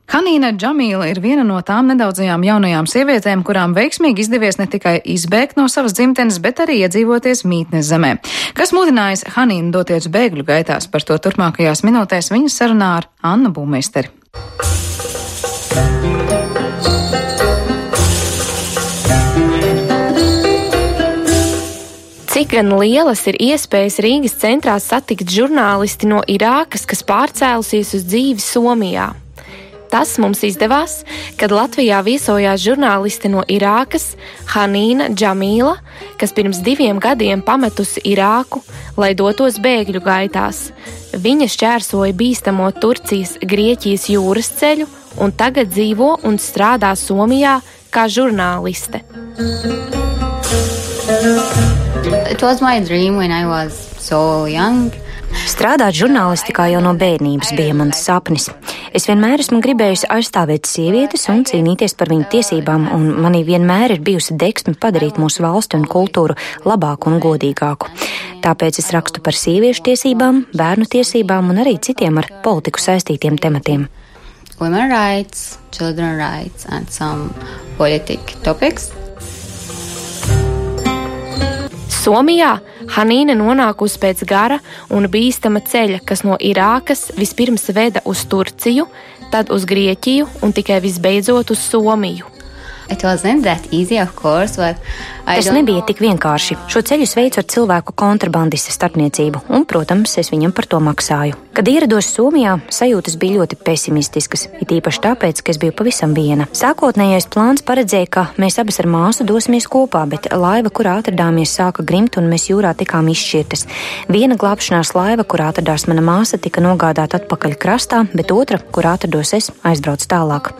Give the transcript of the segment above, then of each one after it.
Hanīna Džamīla ir viena no tām nedaudzajām jaunajām sievietēm, kurām veiksmīgi izdevies ne tikai izbēgt no savas dzimtenes, bet arī iedzīvoties mītnes zemē. Kas mudinājis Hanīnu doties bēgļu gaitās, par to turpmākajās minūtēs viņas sarunā ar Annu Būmeisteri. Cik gan lielas ir iespējas Rīgas centrā satikt žurnālisti no Irākas, kas pārcēlusies uz dzīvi Somijā? Tas mums izdevās, kad Latvijā viesojās žurnāliste no Irākas Hanīna Džamīla, kas pirms 2 gadiem pametusi Irāku, lai dotos bēgļu gaitās. Viņa šķērsoja bīstamo Turcijas-Grieķijas jūras ceļu un tagad dzīvo un strādā Somijā kā žurnāliste. It was my dream when I was so young. Strādāt žurnālistikā jau no bērnības bija mans sapnis. Es vienmēr esmu gribējusi aizstāvēt sievietes un cīnīties par viņu tiesībām, un manī vienmēr ir bijusi deksme padarīt mūsu valsti un kultūru labāku un godīgāku. Tāpēc es rakstu par sieviešu tiesībām, bērnu tiesībām un arī citiem ar politiku saistītiem tematiem. Women rights, children rights and some politic topics. Somijā Hanīna nonākusi pēc gara un bīstama ceļa, kas no Irākas vispirms veda uz Turciju, tad uz Grieķiju un tikai visbeidzot uz Somiju. It wasn't that easy, of course, but Tas nebija tik vienkārši. Šo ceļu veicu ar cilvēku kontrabandista starpniecību, un, protams, es viņam par to maksāju. Kad ierados Somijā, sajūtas bija ļoti pesimistiskas, it īpaši tāpēc, ka es biju pavisam viena. Sākotnējais plāns paredzēja, ka mēs abas ar māsu dosimies kopā, bet laiva, kurā atradāmies, sāka grimt, un mēs jūrā tikām izšķirtas. Viena glābšanās laiva, kurā atradās mana māsa, tika nogādāta atpakaļ krastā, bet otra, kurā atrados es, aizbrauc tālāk.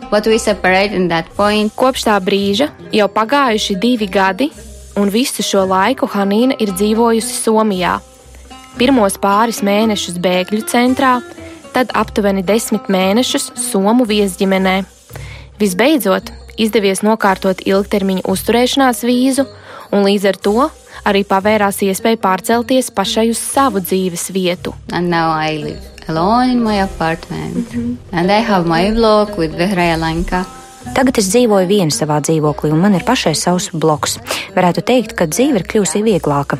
Kopš tā brīža jau pagājuši 2 gadi, un visu šo laiku Hanīna ir dzīvojusi Somijā. Pirmos pāris mēnešus bēgļu centrā, tad aptuveni 10 mēnešus Somu viesģimenē. Visbeidzot, izdevies nokārtot ilgtermiņa uzturēšanās vīzu, un līdz ar to arī pavērās iespēja pārcelties pašai uz savu dzīves vietu. And now I live alone in my apartment. And I have my blog with Vehraja Lanka. Tagad es dzīvoju viena savā dzīvoklī, un man ir pašai savs blogs. Varētu teikt, ka dzīve ir kļuvusi vieglāka.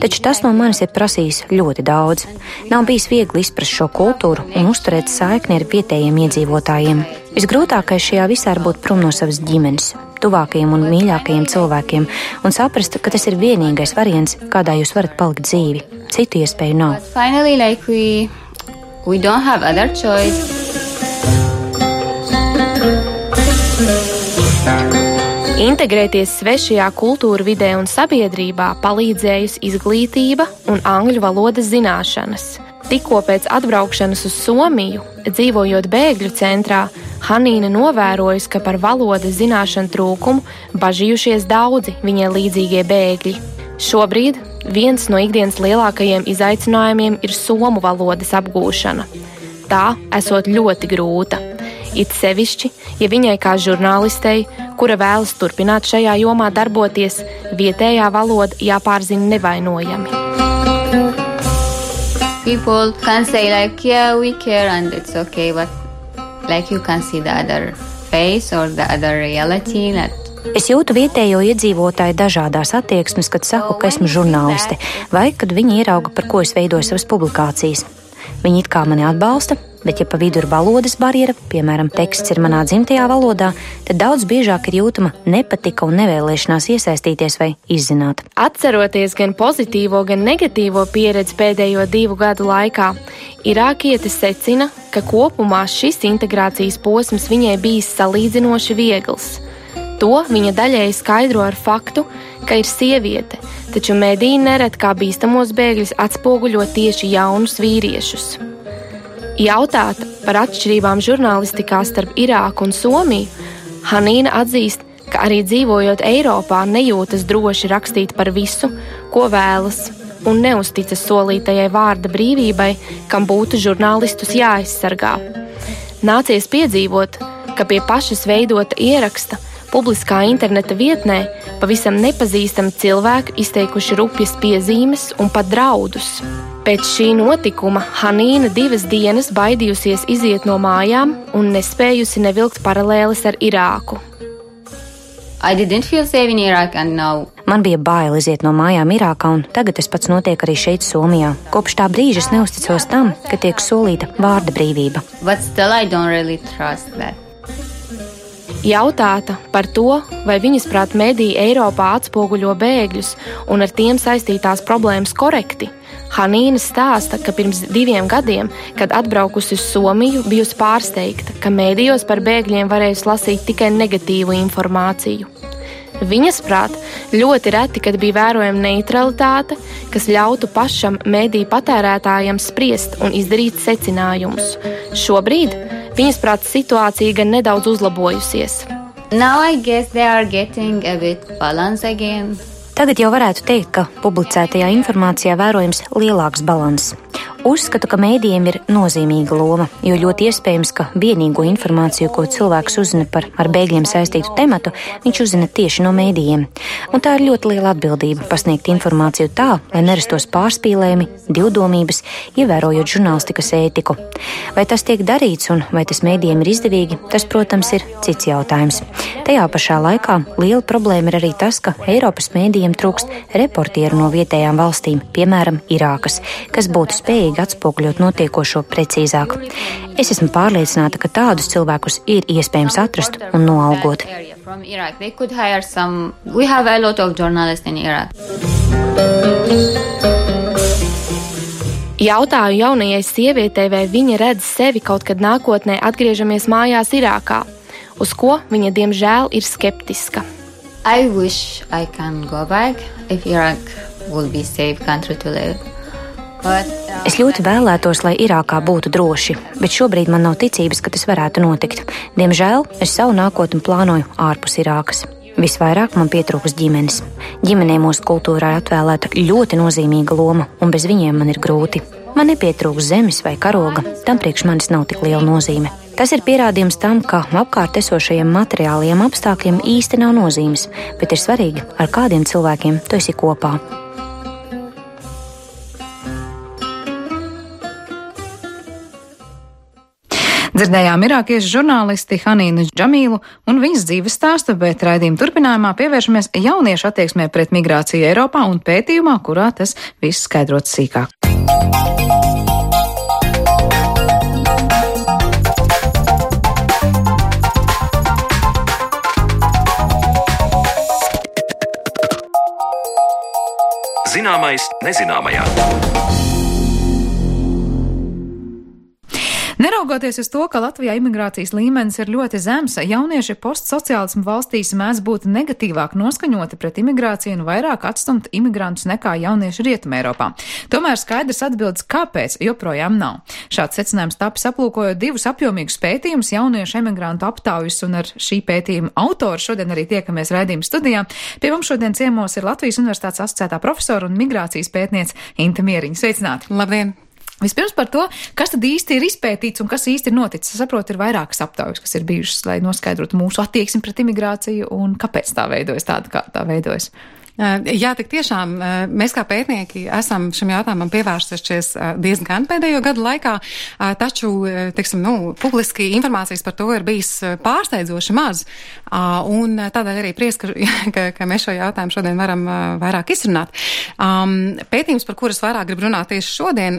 Taču tas no manis ir prasījis ļoti daudz. Nav bijis viegli izprast šo kultūru un uzturēt saikni ar vietējiem iedzīvotājiem. Visgrūtākais šajā visā ir būt prom no savas ģimenes, tuvākajiem un mīļākajiem cilvēkiem, un saprast, ka tas ir vienīgais variants, kādā jūs varat palikt dzīvi. Citu iespēju nav. But finally, we don't have other choice. Integrēties svešajā kultūra vidē un sabiedrībā palīdzējusi izglītība un angļu valodas zināšanas. Tikko pēc atbraukšanas uz Somiju, dzīvojot bēgļu centrā, Hanīna novērojusi, ka par valodas zināšanu trūkumu bažījušies daudzi viņai līdzīgie bēgļi. Šobrīd viens no ikdienas lielākajiem izaicinājumiem ir somu valodas apgūšana. Tā esot ļoti grūta. It sevišķi, ja viņai kā žurnālistei, kura vēlas turpināt šajā jomā darboties, vietējā valoda jāpārzina nevainojami. People can say yeah, we care and it's okay, but you can see the other face or the other reality that Es jūtu vietējo iedzīvotāju dažādās attieksmes, kad saku, ka esmu žurnāliste, vai kad viņi ierauga, par ko es veidoju savas publikācijas. Viņi it kā mani atbalsta, bet ja pa vidu ir valodas barjera, piemēram, teksts ir manā dzimtajā valodā, tad daudz biežāk ir jūtama nepatika un nevēlēšanās iesaistīties vai izzināt. Atceroties gan pozitīvo, gan negatīvo pieredzi pēdējo 2 gadu laikā, irākiete secina, ka kopumā šis integrācijas posms viņai bijis salīdzinoši viegls. To viņa daļēji skaidro ar faktu, ka ir sieviete, taču mediji nereti kā bīstamos bēgļus atspoguļo tieši jaunus vīriešus. Jautāta par atšķirībām žurnālistikā starp Irāku un Somiju, Hanīna atzīst, ka arī dzīvojot Eiropā nejūtas droši rakstīt par visu, ko vēlas, un neuzticas solītajai vārda brīvībai, kam būtu žurnālistus jāaizsargā. Nācies piedzīvot, ka pie pašas veidota ieraksta publiskā interneta vietnē pavisam nepazīstami cilvēki izteikuši rupjas piezīmes un pat draudus. Pēc šī notikuma Hanīna 2 dienas baidījusies iziet no mājām un nespējusi nevilkt paralēles ar Irāku. I didn't feel safe in Iraq and now. Man bija bail iziet no mājām Irākā, un tagad tas pats notiek arī šeit, Somijā. Kopš tā brīža es neusticos tam, ka tiek solīta vārda brīvība. But still I don't really trust that. Jautāta par to, vai viņas prāt mediji Eiropā atspoguļo bēgļus un ar tiem saistītās problēmas korekti, Hanīna stāsta, ka pirms 2 gadiem, kad atbraukusi uz Somiju, bijusi pārsteigta, ka medijos par bēgļiem varējusi lasīt tikai negatīvu informāciju. Viņas prāt, ļoti reti, kad bija vērojama neutralitāte, kas ļautu pašam mediju patērētājam spriest un izdarīt secinājumus. Šobrīd viņas prāt situācija gan nedaudz uzlabojusies. Now I guess they are getting a bit balance again. Tagad jau varētu teikt, ka publicētajā informācijā vērojams lielāks balanss. Uzskatu, ka mēdījiem ir nozīmīga loma, jo ļoti iespējams, ka vienīgo informāciju, ko cilvēks uzzina par ar bēgļiem saistītu tematu, viņš uzzina tieši no mēdījiem. Un tā ir ļoti liela atbildība pasniegt informāciju tā, lai nerastos pārspīlējumi, divdomības, ievērojot žurnālistikas ētiku. Vai tas tiek darīts un vai tas mēdījiem ir izdevīgi, tas, protams, ir cits jautājums. Tajā pašā laikā liela problēma ir arī tas, ka Eiropas mēdījiem trūkst reportieru no vietējām valstīm, piemēram, Irākas, kas būtu spējīgi atspoguļot notiekošo precīzāk. Es esmu pārliecināta, ka tādus cilvēkus ir iespējams atrast un noalgot. Jautāju jaunajai sievietei, vai viņa redz sevi kaut kad nākotnē atgriežamies mājās Irākā, uz ko viņa diemžēl ir skeptiska. I wish I can go back if Iraq will be safe country to live. Es ļoti vēlētos, lai Irākā būtu droši, bet šobrīd man nav ticības, ka tas varētu notikt. Diemžēl es savu nākotni plānoju ārpus Irākas. Visvairāk man pietrūks ģimenes. Ģimenei mūsu kultūrā ir atvēlēta ļoti nozīmīga loma, un bez viņiem man ir grūti. Man nepietrūks zemes vai karoga, tam priekš manis nav tik liela nozīme. Tas ir pierādījums tam, ka apkārt esošajiem materiālajiem apstākļiem īsti nav nozīmes, bet ir svarīgi, ar kādiem cilvēkiem tu esi kopā. Dzirdējām irākiešu žurnālisti Hanīnu Džamīlu un viņas dzīves stāstu, bet raidījuma turpinājumā pievēršamies jauniešu attieksmē pret migrāciju Eiropā un pētījumā, kurā tas viss skaidrots sīkāk. Zināmais nezināmajā. Neraugoties uz to, ka Latvijā imigrācijas līmenis ir ļoti zems, jaunieši postsociālismu valstīs mēdz būt negatīvāk noskaņoti pret imigrāciju un vairāk atstumt imigrantus nekā jaunieši Rietumē Eiropā. Tomēr skaidrs atbildes, kāpēc joprojām nav. Šāds secinājums tapis aplūkojot 2 apjomīgus pētījumus jauniešu emigrantu aptaujas, un ar šī pētījuma autoru šodien arī tiekamies raidījuma studijā. Pie mums šodien ciemos ir Latvijas Universitātes asociētā profesora un migrācijas pētniece Inte Mieriņa. Sveicināti! Labdien! Vispirms par to, kas tad īsti ir izpētīts un kas īsti ir noticis. Es saprotu, ir vairākas aptaujas, kas ir bijušas, lai noskaidrotu mūsu attieksmi pret imigrāciju un kāpēc tā veidojas tāda, kā tā veidojas. Jā, tik tiešām mēs kā pētnieki esam šim jautājumam pievērsušies diezgan pēdējo gadu laikā, taču, teiksim, publiski informācijas par to ir bijis pārsteidzoši maz, un tādēļ arī prieks, ka mēs šo jautājumu šodien varam vairāk izrunāt. Pētījums, par kuras vairāk grib runāt tieši šodien,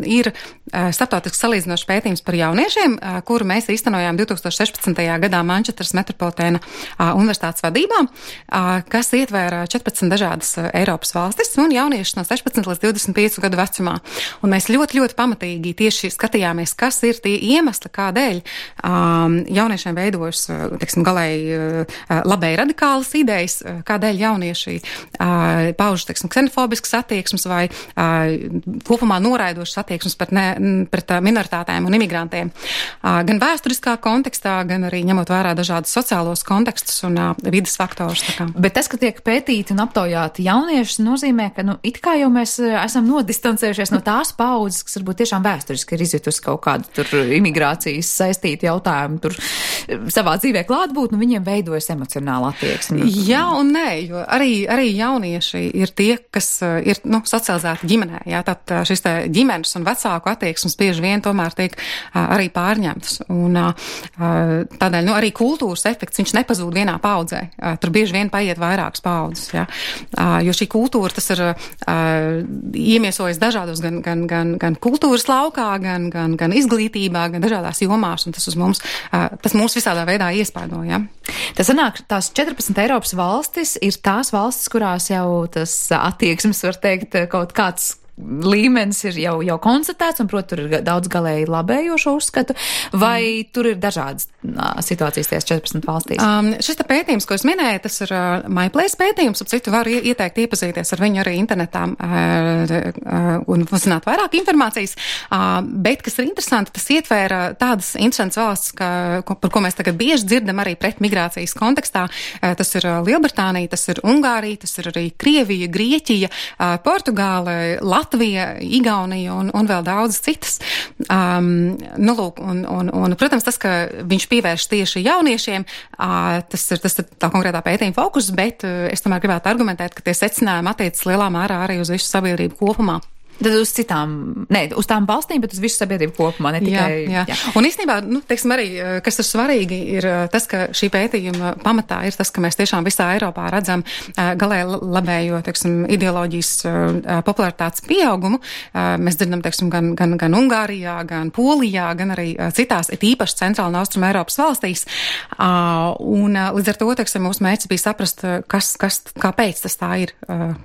ir starptautisks salīdzinošs pētījums par jauniešiem, kuru mēs īstenojām 2016. gadā Manchesteras Metropolitēna universitātes vadībā, kas ietvēra 14 dažādas Eiropas valstis un jauniešus no 16 līdz 25 gadu vecumā. Un mēs ļoti pamatīgi tieši skatījāmies, kas ir tie iemesli, kādēļ jauniešiem veidojas, teiksim, galēji labēji radikālas idejas, kādēļ jaunieši pauž, teiksim, ksenofobiskas attieksmes vai kopumā noraidošas attieksmes pret minoritātēm un imigrantiem. Gan vēsturiskā kontekstā, gan arī ņemot vērā dažādus sociālos kontekstus un vidas faktorus. Bet tas, ka tiek pētīti un aptaujāti jaunieši, nozīmē, ka it kā jau mēs esam nodistancējušies no tās paudzes, kas varbūt tiešām vēsturiski ir izjutusi kaut kādu tur imigrācijas saistītu jautājumu, tur savā dzīvē klātbūt, viņiem veidojas emocionāla attieksme. Jā un nē, jo arī jaunieši ir tie, kas ir, socializēti ģimenē, jā, tad šis te ģimenes un vecāku attieksmes bieži vien tomēr tiek arī pārņemtas. Un tādēļ, arī kultūras efekts, viņš nepazūd vienā paudzē. Tur bieži vien paiet vairākas paudzes, jā. Jo šī kultūra, tas ir iemiesojas dažādos gan kultūras laukā, gan izglītībā, gan dažādās jomās, un tas mūs visādā veidā iespaido, jā. Tas sanāk, tās 14 Eiropas valstis ir tās valstis, kurās jau tas attieksmes, var teikt, kaut kāds līmenis ir jau konstatēts, un, protams, tur ir daudz galēji labējošo uzskatu, vai tur ir dažādas situācijas tajās 14 valstīs? Šis pētījums, ko es minēju, tas ir MyPlace pētījums, ap citu varu ieteikt iepazīties ar viņu arī internetā un uzzināt vairāk informācijas, bet, kas ir interesanti, tas ietvēra tādas interesantas valsts, par ko mēs tagad bieži dzirdam arī pret migrācijas kontekstā. Tas ir Lielbritānija, tas ir Ungārija, tas ir arī Krievija, Grieķija, Portugāle, Latvija, Igaunija un vēl daudz citas. Protams, tas, ka viņš pievērš tieši jauniešiem, tas ir tā konkrētā pētījuma fokus, bet es tomēr gribētu argumentēt, ka tie secinājumi attiecas lielā mērā arī uz visu sabiedrību kopumā. Tad uz uz tām valstīm, bet uz visu sabiedrību kopumā, ne tikai. Jā. Un īstenībā, teiksim arī, kas ir svarīgi, ir tas, ka šī pētījuma pamatā ir tas, ka mēs tiešām visā Eiropā redzam galēji labējo, teiksim, ideoloģijas popularitātes pieaugumu. Mēs dzirdam, teiksim, gan Ungārijā, gan Polijā, gan arī citās, īpaši centrāla un austruma Eiropas valstīs. Un līdz ar to, teiksim, mūsu mērķis bija saprast, kāpēc tas tā ir,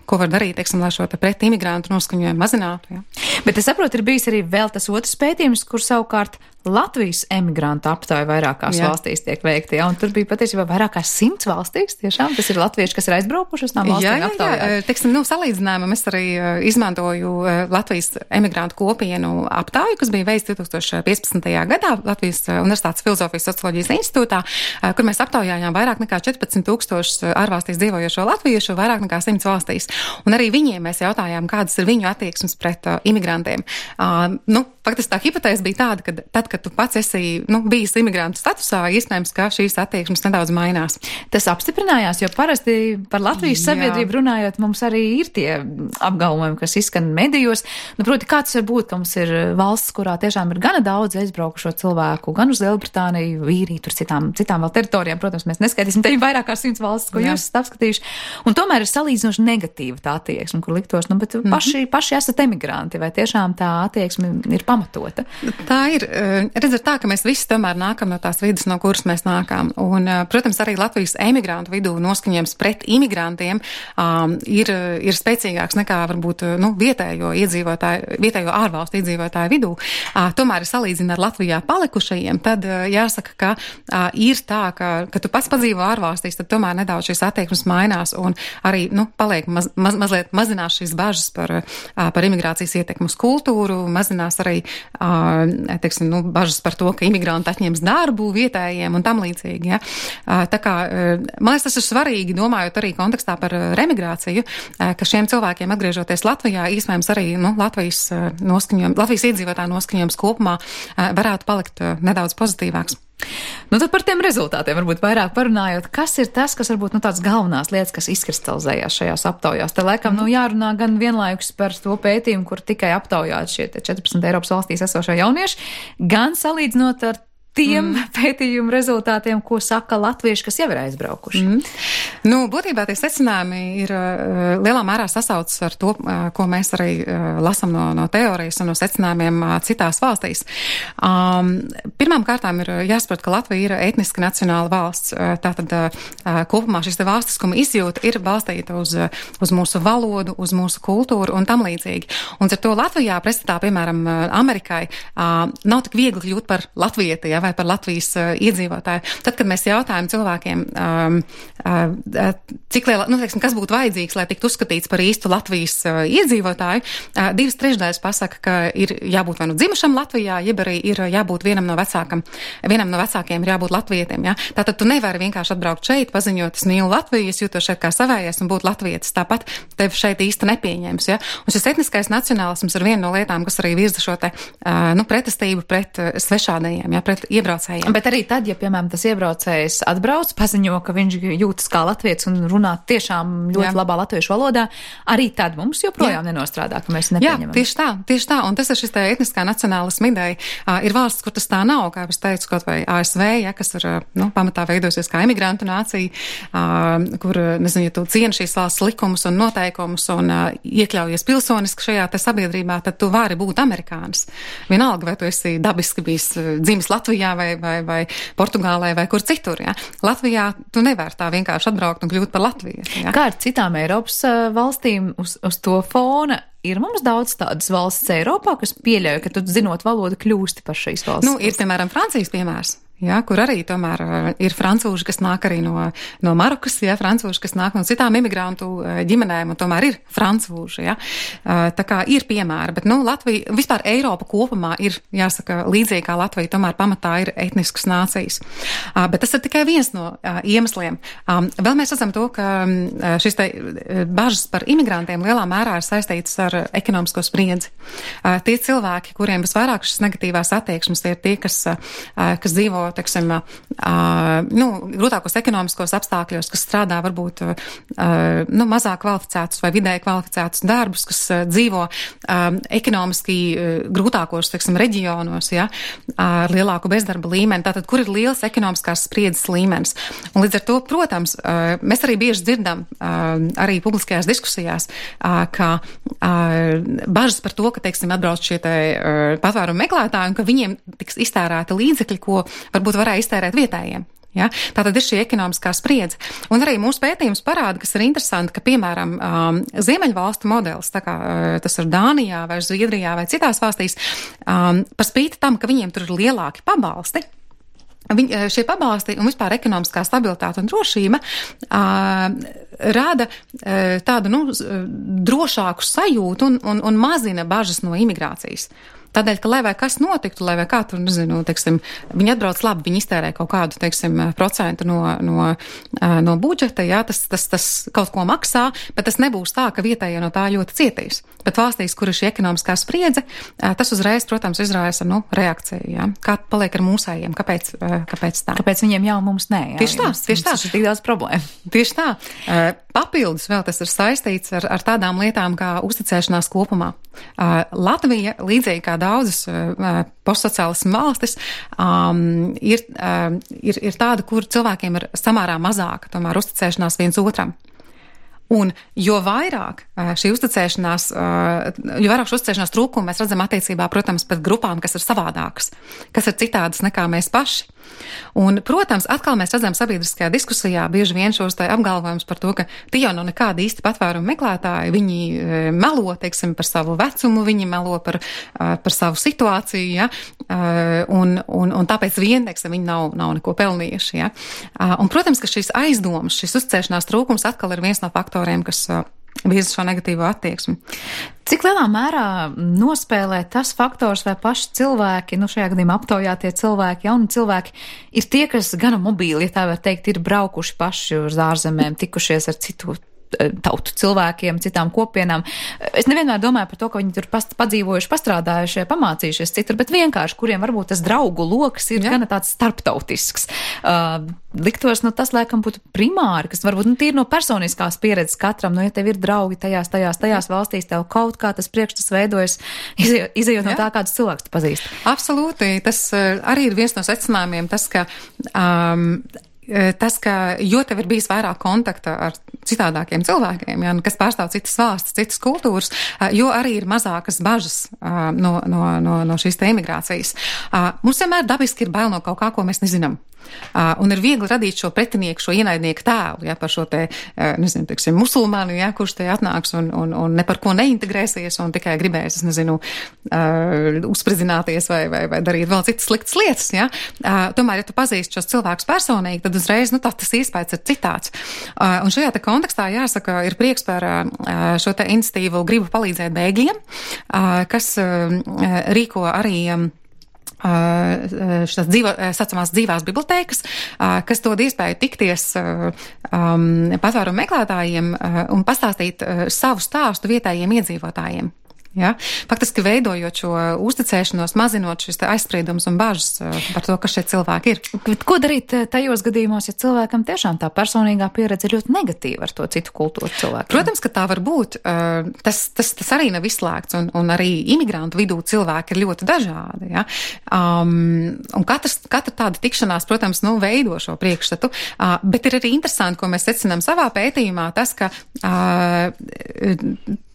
ko var darīt, teiksim, lai šo pret imigrantu noskaņojumu mazinātu. Jā. Bet es saprotu, ir bijis arī vēl tas otrs pētījums, kur savukārt Latvijas emigrantu aptāja vairākās valstīs tiek veikti, un tur bija patiesībā vairākās 100 valstīs, tiešām, tas ir latvieši, kas ir aizbraukuši uz tām valstīm aptaujāt. Jā, teiksim, salīdzinājumam es arī izmantoju Latvijas emigrantu kopienu aptāju, kas bija veikts 2015. gadā Latvijas Universitātes Filozofijas socioloģijas institūtā, kur mēs aptaujājām vairāk nekā 14,000 ārvalstīs dzīvojošo latviešu, vairāk nekā 100 valstīs. Un arī viņiem mēs jautājām, kādas ir viņu attieksmes pret imigrantiem. Faktiski tā hipotēze bija tāda, ka tad, kad tu pats esi bijis imigrantu statusā, iespējams, ka šīs attieksmes nedaudz mainās. Tas apstiprinājās, jo parasti par Latvijas sabiedrību runājot, mums arī ir tie apgalvojumi, kas izskan medijos. Proti, kā tas var būt, ka mums ir valsts, kurā tiešām ir gana daudz aizbraukušo cilvēku, gan uz Lielbritāniju, Īriju, tur citām vēl teritorijām. Protams, mēs neskaitīsim, te ir vairāk kā 100 valstis, ko jūs esat apskatījuši. Un tomēr ir salīdzinoši negatīva tā attieksme, kur liktos, bet paši esat emigranti, vai tiešām tā attieksme ir pamatota? Tā ir. Redz, tā, ka mēs visi tomēr nākam no tās vidas, no kuras mēs nākam. Un, protams, arī Latvijas emigrantu vidū noskaņojums pret imigrantiem ir spēcīgāks nekā varbūt vietējo ārvalstu iedzīvotāju vidū. Tomēr ir salīdzina ar Latvijā palikušajiem, tad jāsaka, ka ir tā, ka tu pats padzīvo ārvalstīs, tad tomēr nedaudz šīs attieksmes mainās un arī paliek mazliet mazinās šīs bažas par imigrācijas ietekmu uz kultūru, mazinās arī teiksim, bažas par to, ka imigranti atņems darbu vietējiem un tam līdzīgi. Ja? Tā kā, man liekas, tas ir svarīgi, domājot arī kontekstā par remigrāciju, ka šiem cilvēkiem atgriežoties Latvijā, iespējams arī Latvijas iedzīvotāju noskaņojums kopumā varētu palikt nedaudz pozitīvāks. Tad par tiem rezultātiem varbūt vairāk parunājot, kas ir tas, kas varbūt tās galvenās lietas, kas izkristalizējās šajās aptaujās. Te laikam jārunā gan vienlaikus par to pētījumu, kur tikai aptaujāt šie 14 Eiropas valstīs esošie jaunieši, gan salīdzinot ar tiem pētījumu rezultātiem, ko saka latvieši, kas jau ir aizbraukuši. Būtībā tie secinājumi ir lielā mērā sasaucas ar to, ko mēs arī lasam no teorijas un no secinājumiem citās valstīs. Pirmām kārtām ir jāsaprot, ka Latvija ir etniski nacionāla valsts. Tātad kopumā šis te valstiskuma izjūta ir balstīta uz mūsu valodu, uz mūsu kultūru un tam līdzīgi. Un ar to Latvijā, pretstatā, piemēram, Amerikai, nav tik viegli kļūt par latvieti, vai par Latvijas iedzīvotāju. Tad, kad mēs jautājam cilvēkiem, cik liela, teiksim, kas būtu vajadzīgs, lai tiktu uzskatīts par īstu Latvijas iedzīvotāju, 2/3 pasaka, ka ir jābūt vai dzimušam Latvijā, jeb arī ir jābūt vienam no vecākiem ir jābūt latvietim. Ja? Tātad tu nevari vienkārši atbraukt šeit, paziņot, es mīlu Latviju, es jūtos šeit kā savējais un būt latvietis. Tāpat tev šeit īsti nepieņems. Ja? Un šis etniskais nacionālisms ir viena no lietām, kas arī virza šo te pretestību pret svešādajiem, ja? Pret iebraucējiem. Bet arī tad, ja, piemēram, tas iebraucējs atbrauc, paziņo, ka viņš jūtas kā latviets un runā tiešām ļoti labā latviešu valodā, arī tad mums joprojām nenostrādā, ka mēs nepieņemam. Jā, tieši tā, un tas ir šis tā etniskā nacionālisma ideja. Ir valsts, kur tas tā nav, kā es teicu, kaut vai ASV, kas ir, pamatā veidosies kā imigrantu nācija, kur, nezinu, ja tu cieni šīs valsts likumus un noteikumus un iekļaujies pilsoniski šajā te sabiedrībā, tad tu vari būt amerikānis. Vienalga, vai tu esi dabiski bijis dzimis Latvijā vai Portugālē vai kur citur, ja? Latvijā tu nevari tā vienkārši atbraukt un kļūt par latviešu. Ja? Kā ar citām Eiropas valstīm uz to fona? Ir mums daudz tādas valsts Eiropā, kas pieļauj, ka tu zinot valodu kļūsti par šīs valsts. Ir, piemēram, Francijas piemērs. Jā, kur arī tomēr ir francūži, kas nāk arī no Marokas, jā, francūži, kas nāk no citām imigrantu ģimenēm, un tomēr ir francūži, jā. Tā kā ir piemēri, bet, Latvija, vispār Eiropa kopumā ir, jāsaka, līdzīgi kā Latvija, tomēr pamatā ir etniskas nācijas. Bet tas ir tikai viens no iemesliem. Vēl mēs redzam to, ka šis te bažas par imigrantiem lielā mērā ir saistītas ar ekonomisko spriedzi. Tie cilvēki, kuriem visvairāk šis negatīvās attieksmes, ir tie, kas dzīvo teiksim, grūtākos ekonomiskos apstākļos, kas strādā varbūt mazāk kvalificētus vai vidēji kvalificētus darbus, kas dzīvo ekonomiski grūtākos, teiksim, reģionos, ja, ar lielāku bezdarba līmeni, tātad, kur ir liels ekonomiskās spriedzes līmenis. Un līdz ar to, protams, mēs arī bieži dzirdam arī publiskajās diskusijās, ka bažas par to, ka, teiksim, atbrauc šie patvērumu meklētāji un ka viņiem tiks iztērēti līdzekļi, ko varbūt varēja iztērēt vietējiem. Ja? Tātad ir šī ekonomiskā spriedze. Un arī mūsu pētījums parāda, kas ir interesanti, ka, piemēram, Ziemeļvalstu modelis, tā kā tas ir Dānijā vai Zviedrijā vai citās valstīs, par spīti tam, ka viņiem tur ir lielāki pabalsti, šie pabalsti un vispār ekonomiskā stabilitāte un drošība rada tādu, drošāku sajūtu un mazina bažas no imigrācijas. Tādēļ, ka lai vai kas notiktu, lai vai kā tur, nezinu, teiksim, viņi atbrauc labi, viņi iztērē kaut kādu, teiksim, procentu no budžeta, jā, tas kaut ko maksā, bet tas nebūs tā, ka vietējie no tā ļoti cietīs. Bet valstīs, kur ir šī ekonomiskā spriedze, tas uzreiz, protams, izraisa, reakciju, jā. Kā paliek ar mūsējiem? Kāpēc tā? Kāpēc viņiem jau mums nē? Jā, tieši tā. Tas ir tik daudz problēmu. Tieši tā. Papildus vēl tas ir saistīts ar tādām lietām kā uzticēšanās kopumā. Latvija, līdzīgi kā daudzas postsociālismu valstis, ir tāda, kur cilvēkiem ir samērā mazāka tomēr uzticēšanās viens otram. Un jo vairāk šī uzticēšanās, jo vairāk šī uzticēšanās trūkumu mēs redzam attiecībā, protams, pret grupām, kas ir savādākas, kas ir citādas nekā mēs paši. Un, protams, atkal mēs redzam sabiedriskajā diskusijā bieži vien šos apgalvojumus par to, ka tie jau nav nekādi īsti patvērumu meklētāji, viņi melo, teiksim, par savu vecumu, viņi melo par savu situāciju, ja, un tāpēc vien, teiksim, viņi nav neko pelnījuši, ja. Un, protams, ka šīs aizdomas, šis uzticēšanās trūkums atkal ir viens no faktoriem, kas virza šo negatīvo attieksmi. Cik lielā mērā nospēlē tas faktors, vai paši cilvēki, šajā gadījumā aptaujātie cilvēki, jauni cilvēki, ir tie, kas gana mobīli, ja tā var teikt, ir braukuši paši uz ārzemēm, tikušies ar citu tautu cilvēkiem, citām kopienām. Es nevienmēr domāju par to, ka viņi tur padzīvojuši, pastrādājuši, pamācījušies citur, bet vienkārši, kuriem varbūt tas draugu loks ir gana tāds starptautisks. Liktos, tas laikam būtu primāri, kas varbūt tīri no personiskās pieredzes katram, ja tev ir draugi tajās valstīs, tev kaut kā tas priekšstats veidojas, izejot no tā, kādus cilvēkus tu pazīsti. Absolūti. Tas arī ir viens no secinājumiem, ka jo tev ir bijis vairāk kontakta ar citādākiem cilvēkiem, ja, kas pārstāv citas valstis, citas kultūras, jo arī ir mazākas bažas no šīs te imigrācijas. Mums vienmēr dabiski ir bail no kaut kā, ko mēs nezinām. Un ir viegli radīt šo pretinieku, šo ienaidnieku tēlu, ja, par šo te, nezinu, teiksim, musulmānu, ja, kurš te atnāks un ne par ko neintegrēsies un tikai gribēs, uzspridzināties vai darīt vēl citas sliktas lietas, ja. Tomēr, ja tu pazīsti šos cilvēkus personīgi, tad uzreiz, tas iespējas ir citāds. Un šajā te kontekstā, jāsaka, ir prieks par šo te iniciatīvu Gribu palīdzēt bēgļiem, kas rīko arī šīs saucamās dzīvās bibliotēkas, kas dod iespēju tikties patvērumu meklētājiem un pastāstīt savu stāstu vietējiem iedzīvotājiem. Ja? Faktiski veidojot šo uzticēšanos, mazinot šis aizspriedumus un bažas par to, kas šie cilvēki ir. Bet ko darīt tajos gadījumos, ja cilvēkam tiešām tā personīgā pieredze ir ļoti negatīva ar to citu kultūru cilvēku? Protams, ka tā var būt. Tas arī nav izslēgts, un arī imigrantu vidū cilvēki ir ļoti dažādi. Ja? Un katra tāda tikšanās, protams, veido šo priekšstatu, bet ir arī interesanti, ko mēs secinām savā pētījumā, tas, ka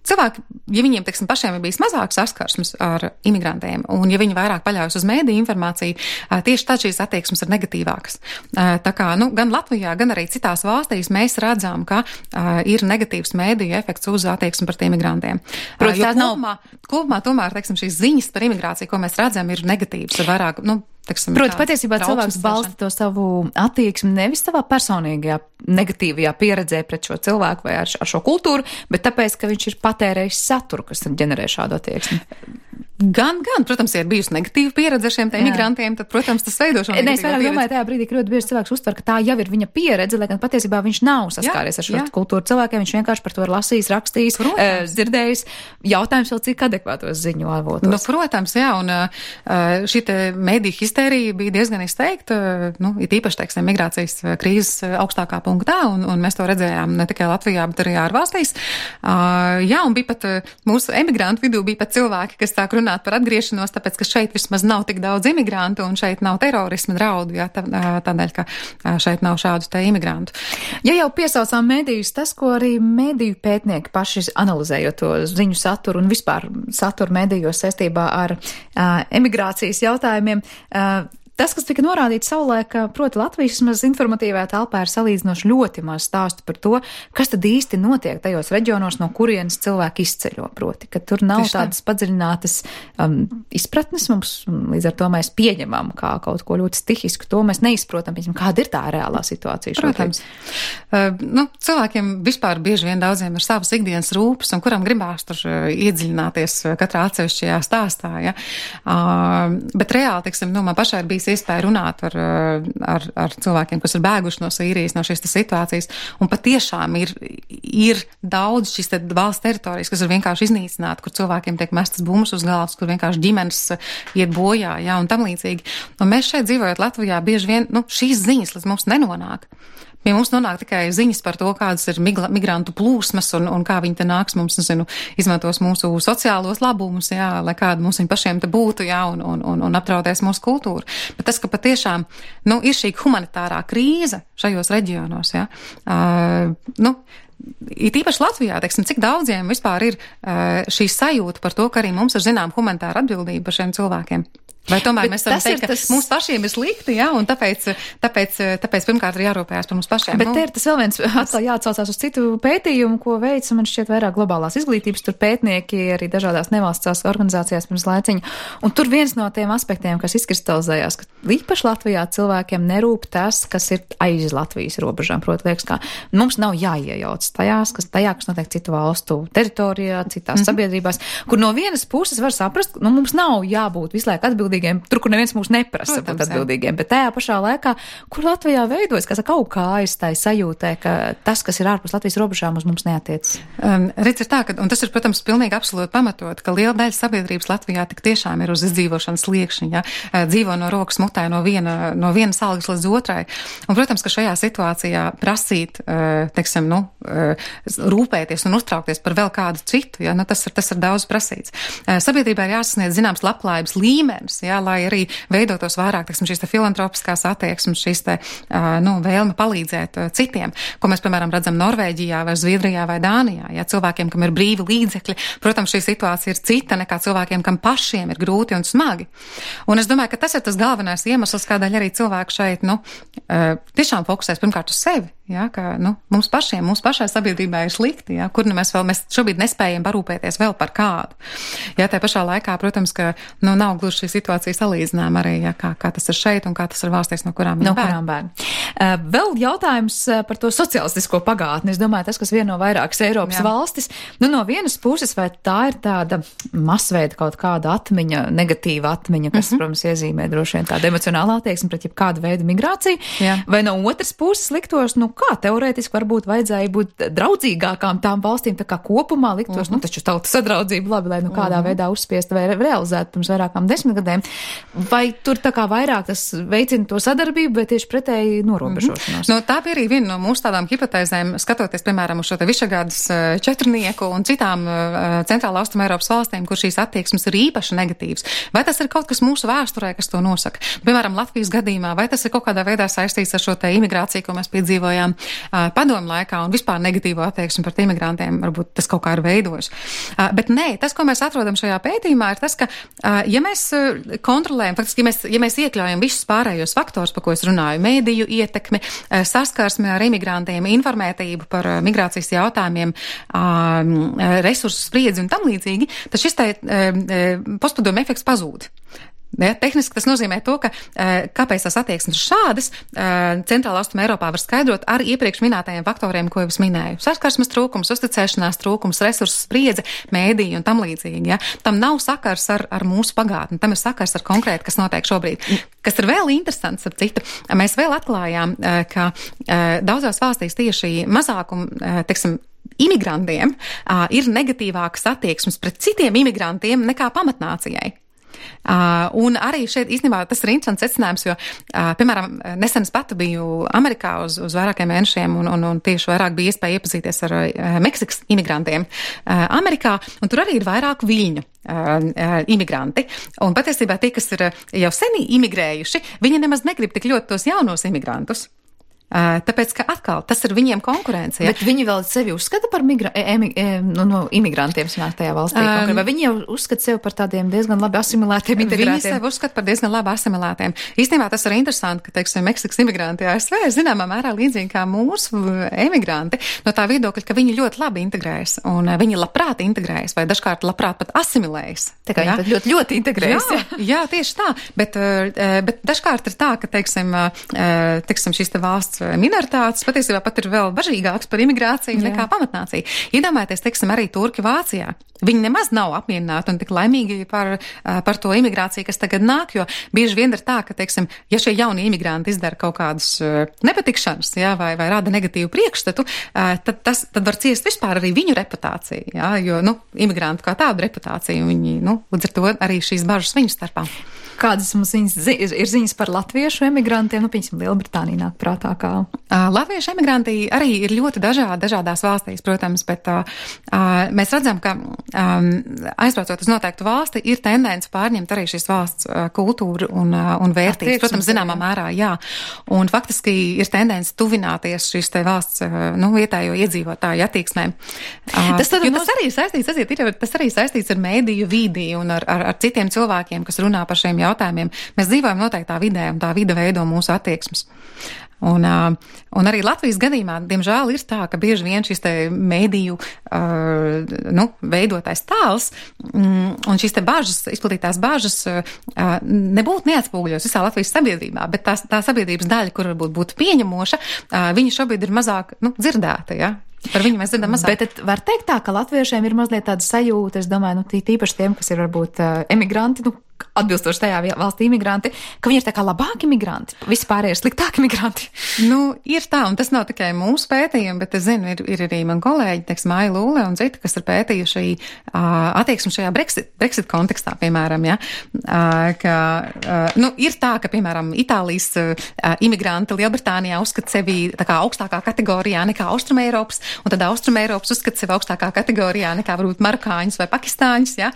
cilvēki, ja viņiem, teiksim, pašiem ir bijis mazāk saskarsmes ar imigrantiem, un ja viņi vairāk paļaujas uz mēdīju informāciju, tieši tad šīs attieksmes ir negatīvākas. Tā kā, gan Latvijā, gan arī citās valstīs mēs redzam, ka ir negatīvs mēdīju efekts uz attieksmi par imigrantiem. Kopumā tomēr, teiksim, šīs ziņas par imigrāciju, ko mēs redzam, ir negatīvas, ir vairāk, Proti, patiesībā cilvēks balsta to savu attieksmi nevis savā personīgajā negatīvajā pieredzē pret šo cilvēku vai ar šo kultūru, bet tāpēc, ka viņš ir patērējis saturu, kas ģenerē šādu attieksmi. Gan, protams, ja ir bijusi negatīva pieredze ar šiem imigrantiem, tad, protams, tas veido šo negatīvo pieredzi. Es vairāk domāju tajā brīdī, ka ļoti bieži cilvēks uztver, ka tā jau ir viņa pieredze, lai gan patiesībā viņš nav saskāries ar šo kultūru cilvēkiem, viņš vienkārši par to ir lasījis, rakstījis, dzirdējis. Jautājums vēl cik adekvātos ziņu avotos. Protams, jā, un šī mēdīju histērija bija diezgan izteikta, it īpaši, teiksim, migrācijas krīzes augstākā punktā, un mēs to redzējām ne tikai Latvijā, bet arī ārvalstīs. Jā, un bija pat mūsu emigrantu vidū bija pat cilvēki, kas sāk runāt par atgriešanos, tāpēc, ka šeit vismaz nav tik daudz imigrantu un šeit nav terorisma draudu, tādēļ, ka šeit nav šādu te imigrantu. Ja jau piesaucām mēdījus, tas, ko arī mēdīju pētnieki paši analizējot to ziņu saturu un vispār saturu mēdījos saistībā ar emigrācijas jautājumiem, tas, kas tika norādīts savulaik, proti Latvijas vismaz informatīvajā telpā ir salīdzinoši ļoti maz stāstu par to, kas tad īsti notiek tajos reģionos, no kurienes cilvēki izceļo, proti, ka tur nav tādas padziļinātas izpratnes mums, līdz ar to mēs pieņemam kā kaut ko ļoti stihisku, to mēs neizprotam, kāda ir tā reālā situācija šobrīd. Protams. Cilvēkiem vispār bieži vien daudziem ir savas ikdienas rūpes, un kuram gribās tur iedziļināties katrā atsevišķajā stāstā, ja? Bet reāli, teiksim, man pašai ir bijis iespēja runāt ar cilvēkiem, kas ir bēguši no Sīrijas, no šīs situācijas, un patiešām ir daudz šīs valsts teritorijas, kas ir vienkārši iznīcināti, kur cilvēkiem tiek mestas bumbas uz galvas, kur vienkārši ģimenes iet bojā, jā, un tam līdzīgi. Un mēs šeit dzīvojot Latvijā bieži vien, šīs ziņas līdz mums nenonāk. Pie mums nonāk tikai ziņas par to, kādas ir migrantu plūsmas un kā viņi te nāks mums, izmantos mūsu sociālos labumus, jā, lai kāda mums viņi pašiem te būtu, jā, un apdraudēs mūsu kultūru. Bet tas, ka patiešām, ir šī humanitārā krīze šajos reģionos, jā, it īpaši Latvijā, teiksim, cik daudziem vispār ir šī sajūta par to, ka arī mums ir zinām humanitāra atbildība par šiem cilvēkiem. Vai tomēr mēs varam teikt, ka mums pašiem ir slikti, jā, un tāpēc pirmkārt ir jārūpējās par mums pašiem. Bet te ir tas vēl viens jāatsaucās uz citu pētījumu, ko veic, man šķiet vairāk globālās izglītības, tur pētnieki arī dažādās nevalstiskās organizācijās pirms laiciņa. Un tur viens no tiem aspektiem, kas izkristalizējās, ka īpaši Latvijā cilvēkiem nerūp tas, kas ir aiz Latvijas robežām. Proti, liekas, ka mums nav jāiejauc tajā, kas notiek citu valstu teritorijā, citās sabiedrībās, kur no vienas puses var saprast, mums nav jābūt visu laiku atbildīgiem, tur, kur neviens mūs neprasa būt atbildīgiem, bet tajā pašā laikā, kur Latvijā veidojas, kaut kā aizstāja sajūtē, ka tas, kas ir ārpus Latvijas robežām, uz mums neatiec. Redz ir tā, un tas ir, protams, pilnīgi absolūti pamatot, ka liela daļa sabiedrības Latvijā tik tiešām ir uz izdzīvošanas sliekšņa, ja? Dzīvo no rokas mutē no vienas algas līdz otrai. Un, protams, ka šajā situācijā prasīt, teiksim, rūpēties un uztraukties par vēl kādu citu, ja? Tas ir daudz prasīts. Sabiedrībā ir jāsasniedz zināms labklājības līmenis, jā, lai arī veidotos vairāk, teiksim, šīs filantropiskās attieksmes, šīs vēlme palīdzēt citiem, ko mēs, piemēram, redzam Norvēģijā vai Zviedrijā vai Dānijā. Jā, cilvēkiem, kam ir brīvi līdzekļi, protams, šī situācija ir cita nekā cilvēkiem, kam pašiem ir grūti un smagi. Un es domāju, ka tas ir tas galvenais iemesls, kādēļ arī cilvēki šeit, tiešām fokusēs pirmkārt uz sevi. Jā, ka, mums pašai sabiedrībā ir slikti, jā, kur mēs šobrīd nespējam parūpēties vēl par kādu. Jā, tā pašā laikā, protams, ka, nav gluži šī situācija salīdzinām arī, jā, kā tas ir šeit un kā tas ir valstīs, no kurām viņi bēg. Vēl jautājums par to sociālistisko pagātni. Es domāju, tas, kas vieno vairākas Eiropas valstis, no vienas puses, vai tā ir tāda masveida kaut kāda atmiņa, negatīva atmiņa, kas, protams, iezīmē droši vien tāda emocionālā attieksme pret jebkādu veidu migrāciju, vai no otras puses liktos, kā teorētiski varbūt vajadzēja būt draudzīgākām tām valstīm, tā kā kopumā liktos, taču tautas sadraudzība labi, lai kādā veidā uzspiesta vai realizētu pirms vairākām 10 gadiem. Vai tur tā kā vairāk tas veicina to sadarbību, vai tieši pretēji norobežošanos? Tā bija arī viena no mūsu tādām hipotēzēm, skatoties, piemēram, uz šo te Višegrādas četrnieku un citām centrāla austruma Eiropas valstīm, kur šīs attieksmes ir īpaši negatīvas. Vai tas ir kaut kas mūsu vēsturē, kas to nosaka? Piemēram, Latvijas gadījumā, vai tas ir kaut kādā veidā saistīts ar šo te imigrāciju, ko mēs piedzīvojām padomu laikā un vispār negatīvo attieksmi pret imigrantiem, varbūt tas kaut kā ir veidojis. Bet nē, tas, ko mēs atrodam šajā pētījumā, ir tas, ka, ja mēs kontrolējam, faktiski, ja mēs iekļaujam visus pārējos faktors, par ko es runāju, mēdīju ietekmi, saskarsmi ar imigrantiem, informētību par migrācijas jautājumiem, resursu spriedzi un tam līdzīgi, tad šis postpadomu efekts pazūd. Ja, tehniski tas nozīmē to, ka kāpēc tās attieksmes šādas centrāla austruma Eiropā var skaidrot ar iepriekš minētajiem faktoriem, ko jau es minēju. Saskarsmes trūkums, uzticēšanās trūkums, resursu spriedze, mēdīji un tam līdzīgi. Ja. Tam nav sakars ar mūsu pagātni, tam ir sakars ar konkrēti, kas notiek šobrīd. Kas ir vēl interesants, ap citu, mēs vēl atklājām, ka daudzās valstīs tieši mazākumu, imigrantiem ir negatīvākas attieksmes pret citiem imigrantiem nekā pamatnācijai. Un arī šeit īstenībā tas ir interesants secinājums, jo, piemēram, nesen es pati biju Amerikā uz vairākiem mēnešiem un tieši vairāk bija iespēja iepazīties ar Meksikas imigrantiem Amerikā, un tur arī ir vairāk viļņu imigranti. Un patiesībā tie, kas ir jau seni imigrējuši, viņi nemaz negrib tik ļoti tos jaunos imigrantus. Tāpēc, ka atkal tas ir viņiem konkurence. Ja? Bet viņi vēl sevi uzskata par imigrantiem smērtajā valstī. Vai viņi jau uzskata sevi par tādiem diezgan labi asimilētiem, integrētiem? Viņi sevi uzskata par diezgan labi asimilētiem. Īstenībā tas ir interesanti, ka, teiksim, Meksikas imigranti ASV ir zināmā mērā līdzīgi kā mūsu emigranti no tā viedokļa, ka viņi ļoti labi integrējas un viņi labprāt integrējas vai dažkārt labprāt pat asimilējas. Tā kā viņi ļoti, ļoti integrējas. Jā, tieši tā. Bet dažkārt ir tā, ka, teiksim, šīs te valsts minoritātes patiesībā pat ir vēl bažīgāks par imigrāciju nekā pamatnācija. Iedomājieties, teiksim, arī Turki Vācijā. Viņi nemaz nav apmierināti un tik laimīgi par to imigrāciju, kas tagad nāk, jo bieži vien ir tā, ka, teiksim, ja šie jaunie imigranti izdara kaut kādus nepatikšanas, vai rada negatīvu priekšstatu, tad var ciest vispār arī viņu reputāciju, jo, imigrantu kā tādu reputāciju, viņi, līdz ar to arī šīs bažas viņu starpā. Kādas mums ir ziņas par latviešu emigrantiem? Piemēram, Lielbritānija nāk prātā kā. Latviešu emigranti arī ir ļoti dažādās valstīs, protams, bet mēs redzam, ka aizbraucot uz noteiktu valsti, ir tendence pārņemt arī šīs valsts kultūru un vērtības. Protams, zināmā mērā, jā. Un faktiski ir tendence tuvināties šīs te valsts vietējo iedzīvotāju attieksmēm. Tas arī saistīts ar mēdīju vidi un ar citiem cilvēkiem, kas runā par šiem jautājumiem. Mēs dzīvojam noteiktā vidē, un tā vide veido mūsu attieksmes. Un arī Latvijas gadījumā, diemžēl, ir tā, ka bieži vien šis te mēdīju veidotais tēls un šīs te bažas, izplatītās bažas nebūtu neatspūgļos visā Latvijas sabiedrībā, bet tā sabiedrības daļa, kur varbūt būtu pieņemoša, viņa šobrīd ir mazāk dzirdēta, ja? Par viņu mēs dzirdam mazāk. Bet var teikt tā, ka latviešiem ir mazliet tāda sajūta, es domāju, tīpaši tiem, kas ir varbūt emigranti, atbilstoši tajā valstī imigranti, ka viņi ir tā kā labāki imigranti, vispārējie ir sliktāki imigranti. Ir tā, un tas nav tikai mūsu pētījumi, bet es zinu, ir arī man kolēģi, teiksim, Aija Lūle un citi, kas ir pētījuši attieksmi šajā Brexit kontekstā, piemēram, ja, ir tā, ka, piemēram, Itālijas imigranti Lielbritānijā uzskata sevi tā kā augstākā kategorijā nekā Austrumeiropas, un tad Austrumeiropas uzskata sevi augstākā kategorijā nekā varbūt marokāņus vai pakistāņus, ja,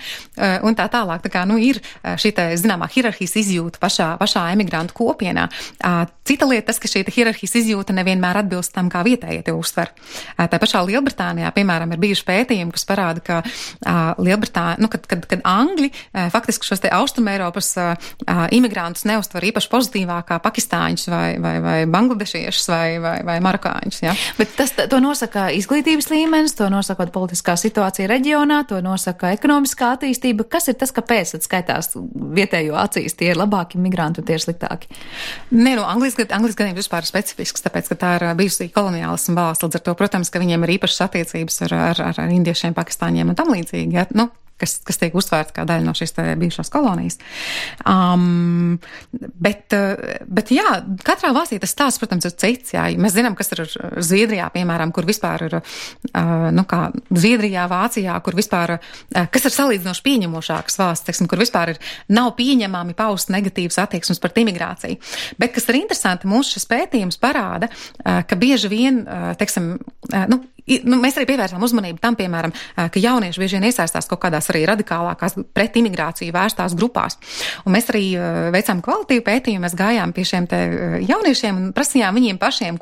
un tā tālāk. Tā kā, ir šī tā, zināmā hierarhijas izjūta pašā emigrantu kopienā. Cita lieta tas, ka šī hierarhijas izjūta nevienmēr atbilst tam, kā vietējie to uztver. Tā pašā Lielbritānijā, piemēram, ir bijuši pētījumi, kas parāda, ka Lielbritānija, kad Angļi faktiski šos te Austrumeiropas imigrantus neuztver īpaši pozitīvāk kā pakistāņus vai bangladešiešus vai marokāņus. Ja? Bet to nosaka izglītības līmenis, to nosaka politiskā situācija reģionā, to nosaka ekonomiskā attīstība. Kas ir tas, kāpēc tad skaitās vietējo acīs tie ir labāki migranti un tie ir sliktāki? Nē, Anglijas gadījums vispār ir specifisks, tāpēc, ka tā ir bijusi koloniālisma valsts, līdz ar to, protams, ka viņiem ir īpašas attiecības ar indiešiem, pakistāņiem un tam līdzīgi, ja? Kas tiek uztvērta kā daļa no šīs bijušās kolonijas. Bet jā, katrā valstī tas stāsts, protams, ir cits, jā. Mēs zinām, kas ir Zviedrijā, piemēram, kur vispār ir, kā Zviedrijā, Vācijā, kur vispār, kas ir salīdzinoši pieņemošākas valsts, teiksim, kur vispār nav pieņemami paust negatīvas attieksmes par imigrāciju. Bet, kas ir interesanti, mūsu šis pētījums parāda, ka bieži vien, teiksim, mēs arī pievērsām uzmanību tam, piemēram, ka jaunieši bieži vien iesaistās kaut kādās arī radikālākās pret imigrāciju vērstās grupās. Un mēs arī veicām kvalitīvu pētījumu, mēs gājām pie šiem te jauniešiem un prasījām viņiem pašiem,